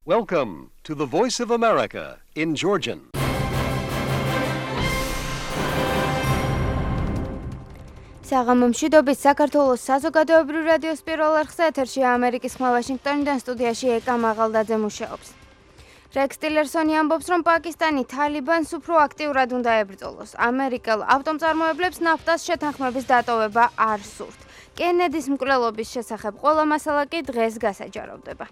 Welcome to the Voice of America in Georgian. საღამომშვიდობის საქართველოს საზოგადოებრივ რადიოს პირველ არხზე ეთერში ამერიკის ხმა ვაშინგტონიდან სტუდიაში ეკა მაღალდაძე მუშაობს. რექს ტილერსონი ამბობს, რომ პაკისტანი თალიბანს უფრო აქტიურად უნდა ებრძოლოს. ამერიკელ ავტომწარმოებლებს ნაფტას შეთანხმების დატოვება არ სურთ. კენედის მკვლელობის შესახებ ყველა მასალა კი დღეს გასაჯაროვდება.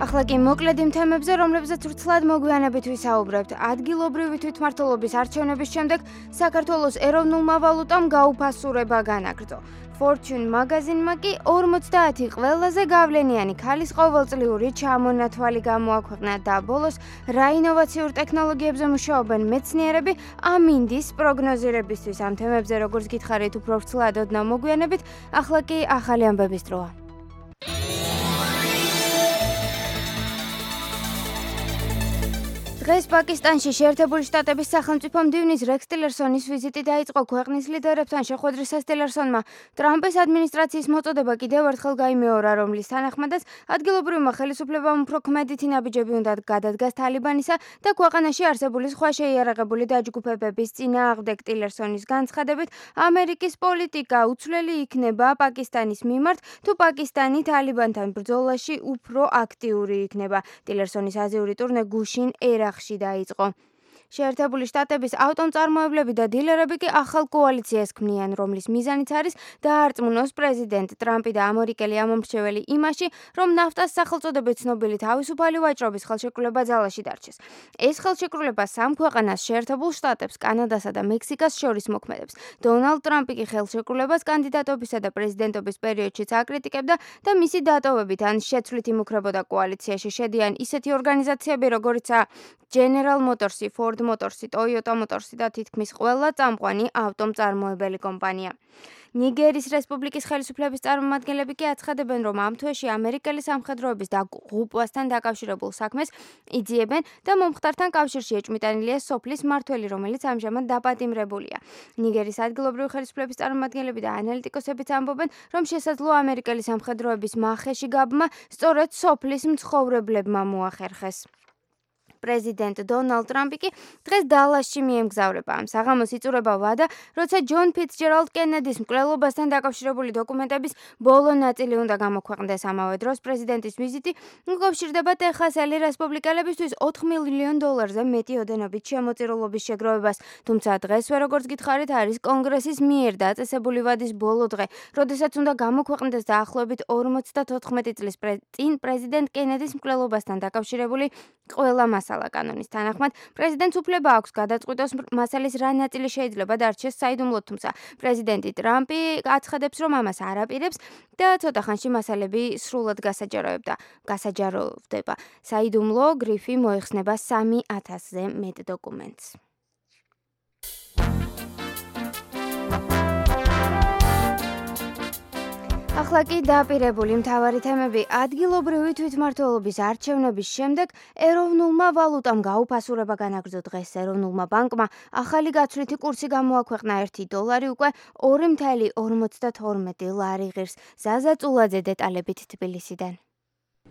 ახლა კი მოკლედ იმ თემებზე, რომლებზეც ვრცლად მოგვიანებით ვისაუბრებთ. ადგილობრივი თვითმმართველობის არჩევნების შემდეგ საქართველოს ეროვნულმა ვალუტამ გაუფასურება განაგრძო. Fortune მაგაზინმა კი 50 ყველაზე გავლენიანი ქალის ყოველწლიური ჩამონათვალი გამოაქვეყნა და ბოლოს რა ინოვაციურ ტექნოლოგიებზე მუშაობენ მეცნიერები ამინდის პროგნოზირებისთვის. ამ თემებზე როგორც გითხარით უფრო ვრცლად ოდნა მოგვიანებით, ახლა კი ახალი ამბების დროა. დღეს პაკისტანში შეერთებული შტატების სახელმწიფო მდივნის რექს ტილერსონის ვიზიტი დაიწყო. ქვეყნის ლიდერებთან შეხვედრისას ტილერსონმა ტრამპის ადმინისტრაციის მოწოდება კიდევ ერთხელ გაიმეორა, რომლის თანახმადაც ადგილობრივმა ხელისუფლებამ უფრო ქმედითი ნაბიჯები უნდა გადადგას თალიბანისა და ქვეყანაში არსებული სხვა შეიარაღებული დაჯგუფებების წინააღმდეგ. ტილერსონის განცხადებით, ამერიკის პოლიტიკა უცვლელი იქნება პაკისტანის მიმართ, თუ პაკისტანი თალიბანთან ბრძოლაში უფრო აქტიური იქნება. ტილერსონის აზიური ტურნე გუშინ ერახში დაიწყო. შეერთებული შტატების ავტომწარმოებლები და დილერები კი ახალ კოალიციას ქმნიან, რომლის მიზანიც არის დაარწმუნოს პრეზიდენტ ტრამპი და ამერიკელი ამომრჩეველი იმაში, რომ ნაფტას სახელწოდებით ცნობილი თავისუფალი ვაჭრობის ხელშეკრულება ძალაში დარჩეს. ეს ხელშეკრულება სამ ქვეყანას, შეერთებულ შტატებს, კანადასა და მექსიკას შორის მოქმედებს. დონალდ ტრამპი კი ხელშეკრულებას კანდიდატობისა და პრეზიდენტობის პერიოდშიც აკრიტიკებდა და მისი დატოვებით ან შეცვლით იმუქრებოდა კოალიციაში შედიან ისეთი ორგანიზაციები, როგორიცაა General Motorsი, Ford Motorsი, Toyota Motorsი და თითქმის ყველა წამყვანი ავტომწარმოებელი კომპანია. ნიგერის რესპუბლიკის ხელისუფლების წარმომადგენლები კი აცხადებენ, რომ ამ თვეში ამერიკელი სამხედროების დაღუპვასთან დაკავშირებულ საქმეს იძიებენ და მომხდართან კავშირში ეჭვმიტანილია სოფლის მმართველი, რომელიც ამჟამად დაპატიმრებულია. ნიგერის ადგილობრივი ხელისუფლების წარმომადგენლები და ანალიტიკოსებიც ამბობენ, რომ შესაძლოა ამერიკელი სამხედროების მახეში გაბმა სწორედ სოფლის მცხოვრებლებმა მოახერხეს. პრეზიდენტ დონალდ ტრამპი კი დღეს დალასში მიემგზავრება. ამ საღამოს იწურება ვადა, როცა ჯონ ფიცჯერალდ კენედის მკვლელობასთან დაკავშირებული დოკუმენტების ბოლო ნაწილი უნდა გამოქვეყნდეს. ამავე დროს პრეზიდენტის ვიზიტი უკავშირდება ტეხასელი რესპუბლიკელებისთვის $4 მილიონ მეტი ოდენობით შემოწირულობის შეგროვებას. თუმცა დღესვე, როგორც გითხარით, არის კონგრესის მიერ დაწესებული ვადის ბოლო დღე, როდესაც უნდა გამოქვეყნდეს დაახლოებით 54 წლის წინ პრეზიდენტ კენედის მკვლელობასთან დაკავშირებული ყველა მასალა. კანონის თანახმად, პრეზიდენტს უფლება აქვს გადაწყვიტოს მასალის რა ნაწილი შეიძლება დარჩეს საიდუმლოდ, თუმცა პრეზიდენტი ტრამპი აცხადებს, რომ ამას არ აპირებს და ცოტა ხანში მასალები სრულად გასაჯაროვდება. საიდუმლო გრიფი მოიხსნება 3000-ზე მეტ დოკუმენტს. ახლა კი დაპირებული მთავარი თემები. ადგილობრივი თვითმმართველობის არჩევნების შემდეგ ეროვნულმა ვალუტამ გაუფასურება განაგრძო. დღეს ეროვნულმა ბანკმა ახალი გაცვლითი კურსი გამოაქვეყნა. $1 უკვე 2.52 ლარი ღირს. ზაზა წულაძე დეტალებით თბილისიდან.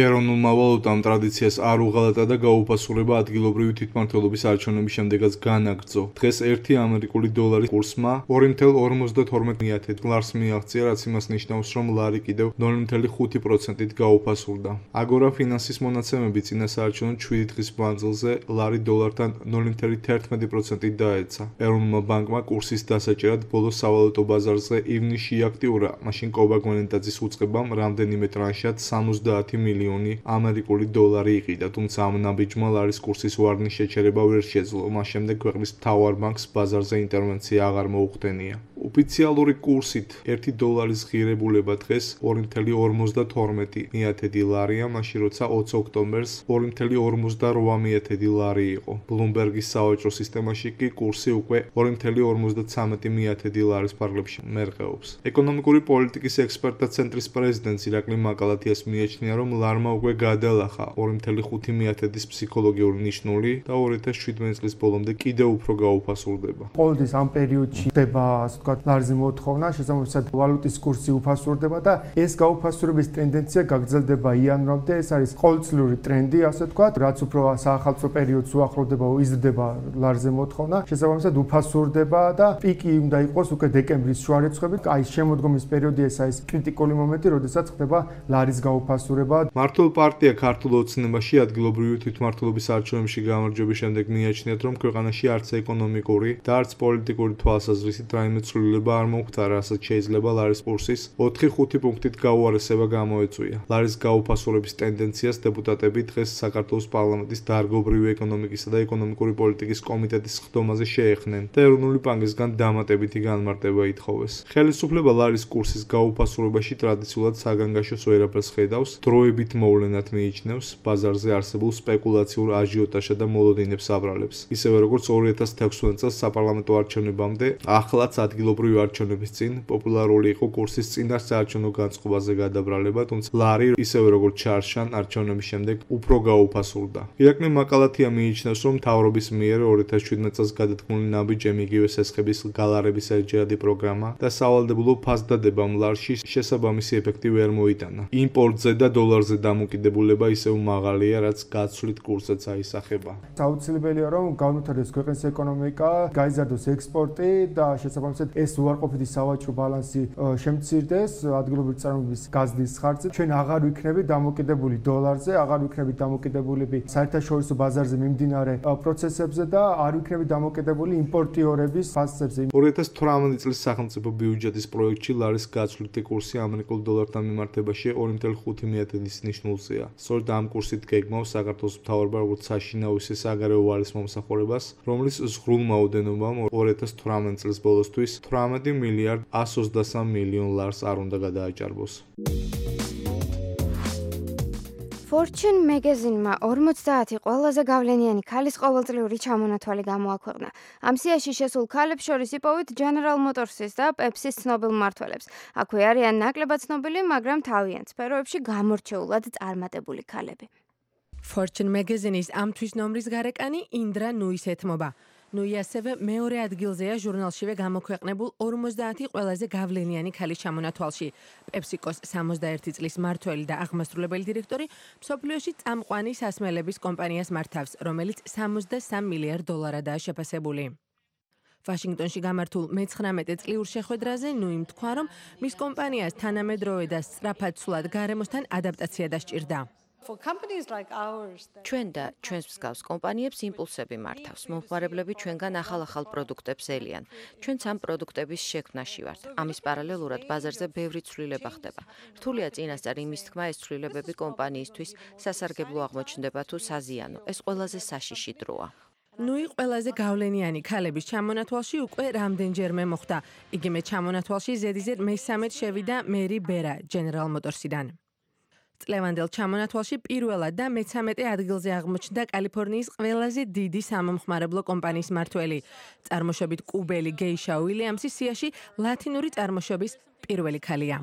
ეროვნულმა ვალუტამ ტრადიციას არ უღალატა და გაუფასურება ადგილობრივი თვითმმართველობის არჩევნების შემდეგაც განაგრძო. დღეს $1 კურსმა 2.52 ლარს მიაღწია, რაც იმას ნიშნავს, რომ ლარი კიდევ 0.5%-ით გაუფასურდა. აგორა ფინანსის მონაცემები წინა საარჩევნო 7 დღის მანძილზე ლარი დოლართან 0.11%-ით დაეცა. ეროვნულმა ბანკმა კურსის დასაჭერად ბოლო სავალუტო ბაზარზე ივნისში აქტიურა, მაშინ კობა გვენეტაძის უწყებამ რამდენიმე ტრანშად 70 მილიონი ამერიკული დოლარი იყიდა, თუმცა ამ ნაბიჯმა ლარის კურსის ვარნის შეჩერება ვერ შეძლო. მას შემდეგ ქვეყნის მთავარ ბანკს ბაზარზე ინტერვენცია აღარ მოუხდენია. ოფიციალური კურსით $1 ღირებულება დღეს 2.52 ლარია, მაშინ როცა 20 ოქტომბერს 2.58 ლარი იყო. ბლუმბერგის სავაჭრო სისტემაში კი კურსი უკვე 2.53 ლარის ფარგლებში მერყეობს. ეკონომიკური პოლიტიკის ექსპერტთა ცენტრის პრეზიდენტ ირაკლი მაკალათიას მიაჩნია, რომ ლარმა უკვე გადალახა 2.5 ფსიქოლოგიური ნიშნული და 2017 წლის ბოლომდე კიდევ უფრო გაუფასურდება. ყოველთვის ამ პერიოდში ხდება, ასე ვთქვათ, ლარზე მოთხოვნა, შესაბამისად ვალუტის კურსი უფასურდება და ეს გაუფასურების ტენდენცია გაგრძელდება იანვრამდე. ეს არის ყოველწლიური ტრენდი, ასე ვთქვათ, რაც უფრო საახალწლო პერიოდს უახლოვდება, იზრდება ლარზე მოთხოვნა, შესაბამისად უფასურდება და პიკი უნდა იყოს უკვე დეკემბრის შუა რიცხვებით. აი შემოდგომის პერიოდი ეს არის კრიტიკული მომენტი, როდესაც ხდება ლარის გაუფასურება. მართლ პარტია ქართულ ოცნებაში ადგილობრივი თვითმმართველობის არჩევნებში გამარჯვების შემდეგ მიაჩნიათ, რომ ქვეყანაში არც ეკონომიკური და არც პოლიტიკური თვალსაზრისით რაიმე ცვლილება არ მოხდარა, რასაც შეიძლება ლარის კურსის 4-5 პუნქტით გაუარესება გამოეწვია. ლარის გაუფასურების ტენდენციას დეპუტატები დღეს საქართველოს პარლამენტის დარგობრივი ეკონომიკისა და ეკონომიკური პოლიტიკის კომიტეტის ხდომაზე შეეხნენ და ეროვნული ბანკისგან დამატებითი განმარტება ითხოვეს. ხელისუფლება ლარის კურსის გაუფასურებაში ტრადიციულად საგანგაშოს ვერაფერს ხედავს, დროებით მოვლენად მიიჩნევს, ბაზარზე არსებულ სპეკულაციურ აჟიოტაჟსა და მოლოდინებს აბრალებს. ისევე როგორც 2016 წელს საპარლამენტო არჩევნებამდე, ახლაც ადგილობრივი არჩევნების წინ პოპულარული იყო კურსის წინასაარჩევნო განწყობაზე გადაბრალება, თუმცა ლარი ისევე როგორც ჩარშან არჩევნების შემდეგ უფრო გაუფასურდა. ირაკლი მაკალათია მიიჩნევს, რომ მთავრობის მიერ 2017 წელს გადადგმული ნაბიჯები იგივე სესხების გალარების ერთჯერადი პროგრამა და სავალდებულო ფასდადებამ ლარში შესაბამისი ეფექტი ვერ მოიტანა. იმპორტზე და დოლარზე დამოკიდებულება ისევ მაღალია, რაც გაცვლით კურსსაც აისახება. აუცილებელია რომ განვითარდეს ქვეყნის ეკონომიკა, გაიზარდოს ექსპორტი და შესაბამისად ეს უარყოფითი სავაჭრო ბალანსი შემცირდეს ადგილობრივი წარმოების გაზრდის ხარჯზე. ჩვენ აღარ ვიქნებით დამოკიდებული დოლარზე, აღარ ვიქნებით დამოკიდებულები საერთაშორისო ბაზარზე მიმდინარე პროცესებზე და არ ვიქნებით დამოკიდებული იმპორტიორების ფასებზე. 2018 წლის სახელმწიფო ბიუჯეტის პროექტში ლარის გაცვლითი კურსი ამერიკულ დოლართან მიმართებაში 2.5 ნიშნულზეა. სწორედ ამ კურსით გეგმავს საქართველოს მთავრობა როგორც საშინაო ისე საგარეო ვალის მომსახურებას, რომლის ზღვრულ ოდენობამ 2018 წლის ბოლოსთვის 18 მილიარდ 123 მილიონ ლარს არ უნდა გადააჭარბოს. Fortune magazine-მა 50 ყველაზე გავლენიანი ქალის ყოველწლიური ჩამონათვალი გამოაქვეყნა. ამ სიაში შესულ ქალებს შორის იპოვეთ General Motors-ის და Pepsi-ის ცნობილ მმართველებს. აქვე არიან ნაკლებად ცნობილი, მაგრამ თავიანთ სფეროებში გამორჩეულად წარმატებული ქალები. Fortune magazine-ის ამ თვის ნომრის გარეკანი ინდრა ნუის ეთმობა. ნუი ასევე მეორე ადგილზეა ჟურნალშივე გამოქვეყნებულ 50 ყველაზე გავლენიანი ქალის ჩამონათვალში. PepsiCo-ს 61 წლის მმართველი და აღმასრულებელი დირექტორი მსოფლიოში წამყვანი სასმელების კომპანიას მართავს, რომელიც 63 მილიარდ დოლარადაა შეფასებული. ვაშინგტონში გამართულ მე-19 წლიურ შეხვედრაზე ნუიმ თქვა, რომ მის კომპანიას თანამედროვე და სწრაფად ცვლად გარემოსთან ადაპტაცია დასჭირდა. ჩვენ და ჩვენს მსგავს კომპანიებს იმპულსები მართავს. მომხმარებლები ჩვენგან ახალ-ახალ პროდუქტებს ელიან. ჩვენც ამ პროდუქტების შექმნაში ვართ. ამის პარალელურად ბაზარზე ბევრი ცვლილება ხდება. რთულია წინასწარ იმის თქმა, ეს ცვლილებები კომპანიისთვის სასარგებლო აღმოჩნდება თუ საზიანო. ეს ყველაზე საშიში დროა. ნუი ყველაზე გავლენიანი ქალების ჩამონათვალში უკვე რამდენჯერმე მოხვდა. იგივე ჩამონათვალში ზედიზედ მე-13 შევიდა მერი ბერა General Motors-იდან. წლევანდელ ჩამონათვალში პირველად და მე-13 ადგილზე აღმოჩნდა კალიფორნიის ყველაზე დიდი სამომხმარებლო კომპანიის მმართველი. წარმოშობით კუბელი გეიშა უილიამსი სიაში ლათინური წარმოშობის პირველი ქალია.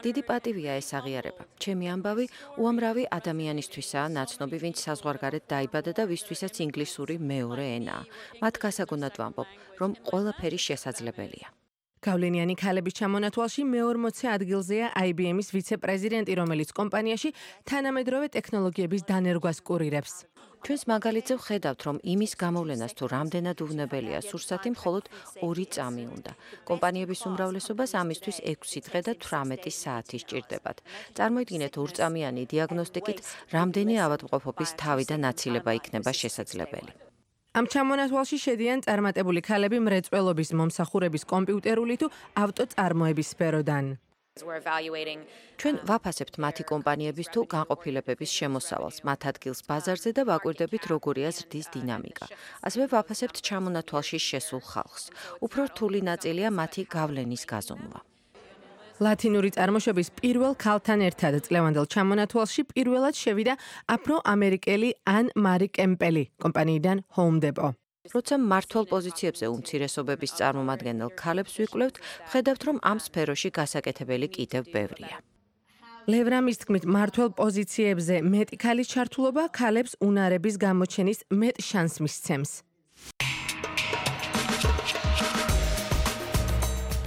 დიდი პატივია ეს აღიარება. ჩემი ამბავი უამრავი ადამიანისთვისაა ნაცნობი, ვინც საზღვარგარეთ დაიბადა და ვისთვისაც ინგლისური მეორე ენაა. მათ გასაგონად ვამბობ, რომ ყველაფერი შესაძლებელია. გავლენიანი ქალების ჩამონათვალში მე-40 ადგილზეა IBM-ის ვიცე-პრეზიდენტი, რომელიც კომპანიაში თანამედროვე ტექნოლოგიების დანერგვას კურირებს. ჩვენს მაგალითზე ვხედავთ, რომ იმის გამოვლენას თუ რამდენად უვნებელია სურსათი მხოლოდ 2 წამი უნდა. კომპანიების უმრავლესობას ამისთვის 6 დღე და 18 საათი სჭირდებათ. წარმოიდგინეთ 2-წამიანი დიაგნოსტიკით რამდენი ავადმყოფობის თავი და ნაცილება იქნება შესაძლებელი. ამ ჩამონათვალში შედიან წარმატებული ქალები მრეწველობის, მომსახურების, კომპიუტერული თუ ავტოწარმოების სფეროდან. ჩვენ ვაფასებთ მათი კომპანიების თუ განყოფილებების შემოსავალს, მათ ადგილს ბაზარზე და ვაკვირდებით როგორია ზრდის დინამიკა. ასევე ვაფასებთ ჩამონათვალში შესულ ხალხს. უფრო რთული ნაწილია მათი გავლენის გაზომვა. ლათინური წარმოშობის პირველ ქალთან ერთად წლევანდელ ჩამონათვალში პირველად შევიდა აფრო-ამერიკელი ან მარი კემპელი კომპანიიდან Home Depot. როცა მმართველ პოზიციებზე უმცირესობების წარმომადგენელ ქალებს ვიკვლევთ, ვხედავთ, რომ ამ სფეროში გასაკეთებელი კიდევ ბევრია. ლევრამის თქმით, მმართველ პოზიციებზე მეტი ქალის ჩართულობა ქალებს უნარების გამოჩენის მეტ შანსს მისცემს.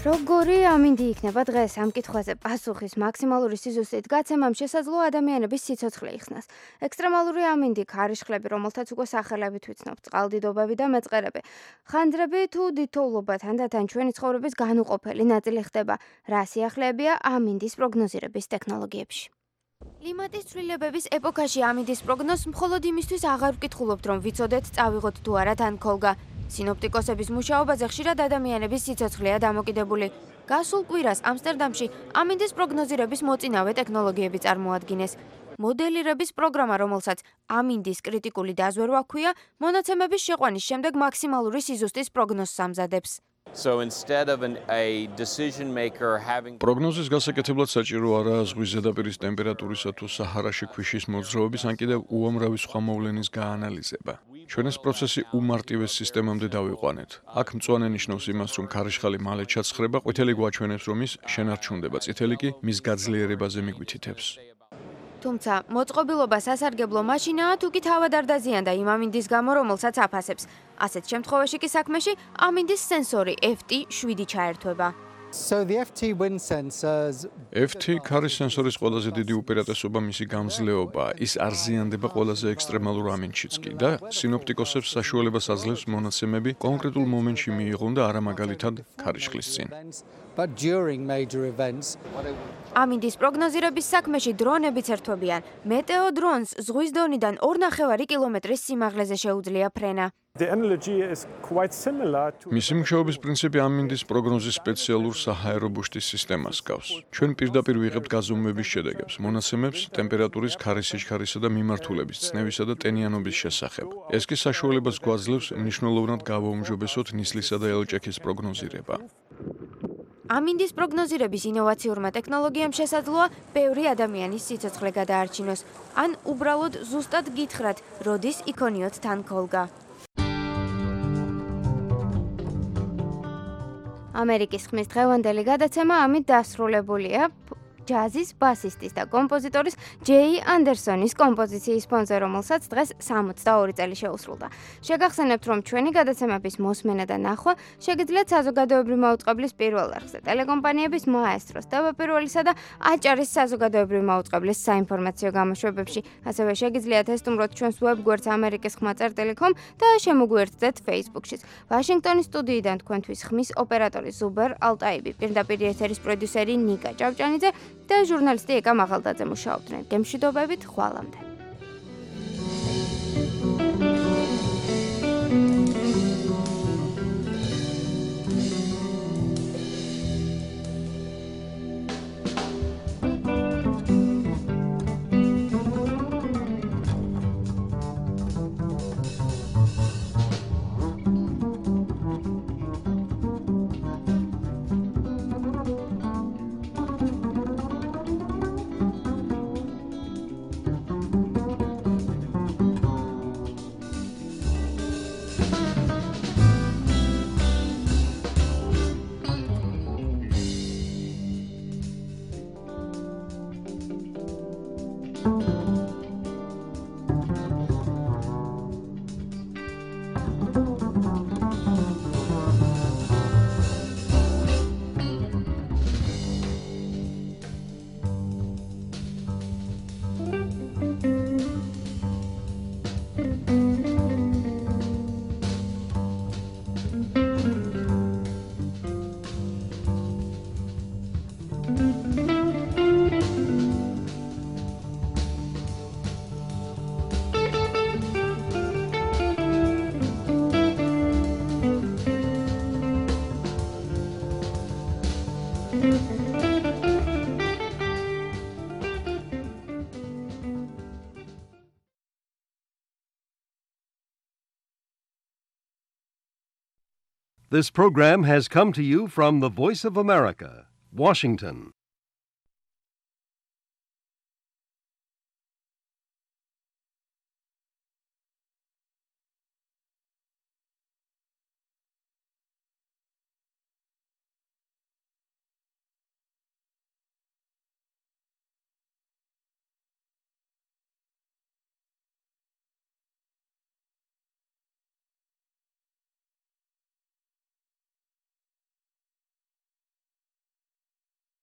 როგორი ამინდი იქნება დღეს ამ კითხვაზე პასუხის მაქსიმალური სიზუსტით გაცემამ შესაძლოა ადამიანების სიცოცხლე იხსნას. ექსტრემალური ამინდი, ქარიშხლები, რომელთაც უკვე სახელებით ვიცნობთ, წყალდიდობები და მეწყერები. ხანძრები თუ დიდთოვლობა თანდათან ჩვენი ცხოვრების განუყოფელი ნაწილი ხდება. რა სიახლეებია ამინდის პროგნოზირების ტექნოლოგიებში? კლიმატის ცვლილებების ეპოქაში ამინდის პროგნოზს მხოლოდ იმისთვის აღარ ვკითხულობთ, რომ ვიცოდეთ, წავიღოთ თუ არა თან ქოლგა. სინოპტიკოსების მუშაობაზე ხშირად ადამიანების სიცოცხლეა დამოკიდებული. გასულ კვირას ამსტერდამში ამინდის პროგნოზირების მოწინავე ტექნოლოგიები წარმოადგინეს. მოდელირების პროგრამა, რომელსაც ამინდის კრიტიკული დაზვერვა ჰქვია, მონაცემების შეყვანის შემდეგ მაქსიმალური სიზუსტის პროგნოზს ამზადებს. პროგნოზის გასაკეთებლად საჭირო არაა ზღვის ზედაპირის ტემპერატურისა თუ საჰარაში ქვიშის მოძრაობის ან კიდევ უამრავი სხვა მოვლენის გაანალიზება. ჩვენ ეს პროცესი უმარტივეს სისტემამდე დავიყვანეთ. აქ მწვანე ნიშნავს იმას, რომ ქარიშხალი მალე ჩაცხრება, ყვითელი გვაჩვენებს, რომ ის შენარჩუნდება, წითელი კი მის გაძლიერებაზე მიგვითითებს. თუმცა, მოწყობილობა სასარგებლო მაშინაა, თუ კი თავად არ დაზიანდა იმ ამინდის გამო, რომელსაც აფასებს. ასეთ შემთხვევაში კი საქმეში ამინდის სენსორი FT7 ჩაერთვება. FT ქარის სენსორის ყველაზე დიდი უპირატესობა მისი გამძლეობაა. ის არ ზიანდება ყველაზე ექსტრემალურ ამინდშიც კი და სინოპტიკოსებს საშუალებას აძლევს მონაცემები კონკრეტულ მომენტში მიიღონ და არა მაგალითად ქარიშხლის წინ. ამინდის პროგნოზირების საქმეში დრონებიც ერთვებიან. მეტეო დრონს ზღვის დონიდან 2,5 კილომეტრის სიმაღლეზე შეუძლია ფრენა. მისი მუშაობის პრინციპი ამინდის პროგნოზის სპეციალურ საჰაერო ბუშტის სისტემას გავს. ჩვენ პირდაპირ ვიღებთ გაზომვების შედეგებს, მონაცემებს ტემპერატურის, ქარის სიჩქარისა და მიმართულების, წნევისა და ტენიანობის შესახებ. ეს კი საშუალებას გვაძლევს მნიშვნელოვნად გავაუმჯობესოთ ნისლისა და ელჭექის პროგნოზირება. ამინდის პროგნოზირების ინოვაციურმა ტექნოლოგიამ შესაძლოა ბევრი ადამიანის სიცოცხლე გადაარჩინოს, ან უბრალოდ ზუსტად გითხრათ, როდის იქონიოთ თან ქოლგა. ამერიკის ხმის დღევანდელი გადაცემა ამით დასრულებულია. ჯაზის ბასისტის და კომპოზიტორის ჯეი ანდერსონის კომპოზიციის სპონსორ, რომელსაც დღეს 62 წელი შეუსრულდა. შეგახსენებთ, რომ ჩვენი გადაცემების მოსმენა და ნახვა შეგიძლიათ საზოგადოებრივი მაუწყებლის პირველ არხზე, ტელეკომპანიების მაესტროს, TV1-სა და აჭარის საზოგადოებრივი მაუწყებლის საინფორმაციო გამოშვებებში. ასევე შეგიძლიათ ესტუმროთ ჩვენს ვებგვერდს amerikis.com და შემოგვიერთდეთ Facebook-შიც. ვაშინგტონის სტუდიიდან თქვენთვის ხმის ოპერატორი ზუბერ ალტაიბი, პირდაპირ ეთერის პროდიუსერი ნიკა ჭავჭანიძე და ჟურნალისტი ეკა მაღალდაძე მუშაობდნენ. გემშვიდობებით, ხვალამდე. This program has come to you from the Voice of America, Washington.